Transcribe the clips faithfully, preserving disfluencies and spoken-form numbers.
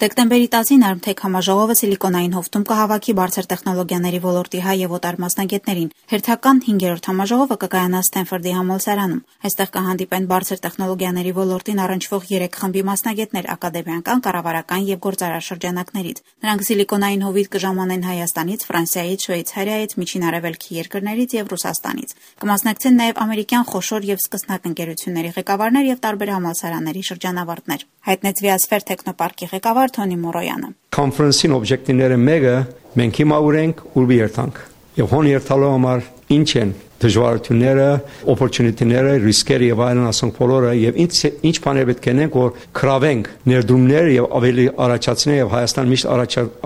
Դեկտեմբերի տասին Արմթեք համաժողովը Սիլիկոնային հովտում կհավաքի բարձր տեխնոլոգիաների ոլորտի հայ եւ օտար մասնագետներին։ Հերթական հինգերորդ համաժողովը կկայանա Սթենֆորդի համալսարանում։ Այստեղ կհանդիպեն բարձր տեխնոլոգիաների ոլորտին առնչվող երեք խմբի մասնագետներ ակադեմիական, կառավարական եւ գործարար շրջանակներից։ Նրանք Սիլիկոնային հովիտ կժամանեն Հայաստանից, Ֆրանսիայից, Շվեյցարիայից, Միջին Արևելքի երկրներից եւ Ռուսաստանից։ Կմասնակցեն նաեւ ամերիկյան խոշոր եւ սկսնակ ընկերությունների ղեկավարներ եւ տարբեր համալսարանների շրջանավարտներ։ Հայտնեց Վիասֆեր տեխնոպարկի ղեկավար Թոնի Մորոյանը։ Կոնֆերանսին օբյեկտիվները մեկը մենք հիմա ունենք ուր երթանք եւ հոն երթալու համար ինչ են դժվարությունները, opportunity-ները, ռիսկերը եւ այլն ասենք բոլորը եւ ինչ ինչ բաներ պետք է անենք որ կրավենք ներդրումներ եւ ավելի առաջացնենք եւ Հայաստան միշտ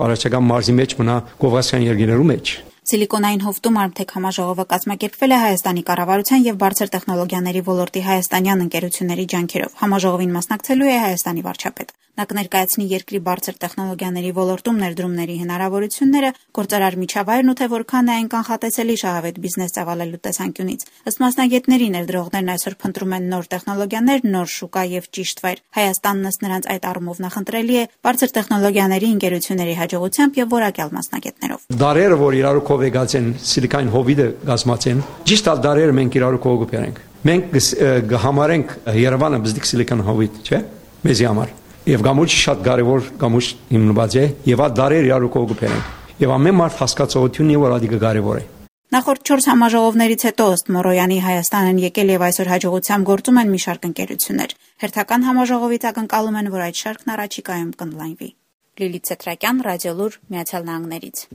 առաջական մարզի մեջ մնա Կովկասյան երկրներու մեջ։ Սիլիկոնային հովտում Արմթեք համաժողովը կազմակերպվել է Հայաստանի կառավարության եւ բարձր տեխնոլոգիաների ոլորտի հայաստանյան ընկերությունների ջանքերով։ Համաժողովին մասնակցելու է Հայաստանի վարչապետ։ Նա կներկայացնի երկրի բարձր տեխնոլոգիաների ոլորտում ներդրումների հնարավորությունները, գործարար միջավայրն ու թե որքան է այն կանխատեսելի շահավետ բիզնես ծավալելու տեսանկյունից։ Ըստ մասնագետների ներդրողներն այսօր փնտրում են նոր տեխնոլոգիաներ, նոր շուկա եւ ճիշտ վայր։ Հայաստանն ըստ նրանց այդ առումով նախընտրելի է բարձր տեխնոլոգիաների ընկերությունների հաջողությամբ եւ որակյալ մասնագետներով։ Դարերը, որ իրար եկած են Սիլիկոնային հովիտը գազմացեն, ճիշտ ալ դարերը մենք իրար կողոպերենք։ Մենք կհամարենք Երևանը բզդիկ Սիլիկոն հովիտ, չէ՞։ Մեզի համար։ Եվ գամուրջը շատ կարևոր գամուրջ հիմնված է, եւ այդ դարերը իրար կողոպերենք։ Եվ ամեն մարդ հասկացողությունն է, որ ադիգը կարևոր է։ Նախորդ չորս համաժողովներից հետո ըստ Մորոյանի Հայաստանն եկել եւ այսօր հաջողությամբ գործում են մի շարք ընկերություններ։ Հերթական համաժողովից ակնկալում են, որ այդ շարքն առաջիկայում կընդլայնվի։ Լիլիթ Ցետրակյան, Ռադիոլուր, Միացյալ Նահանգներից։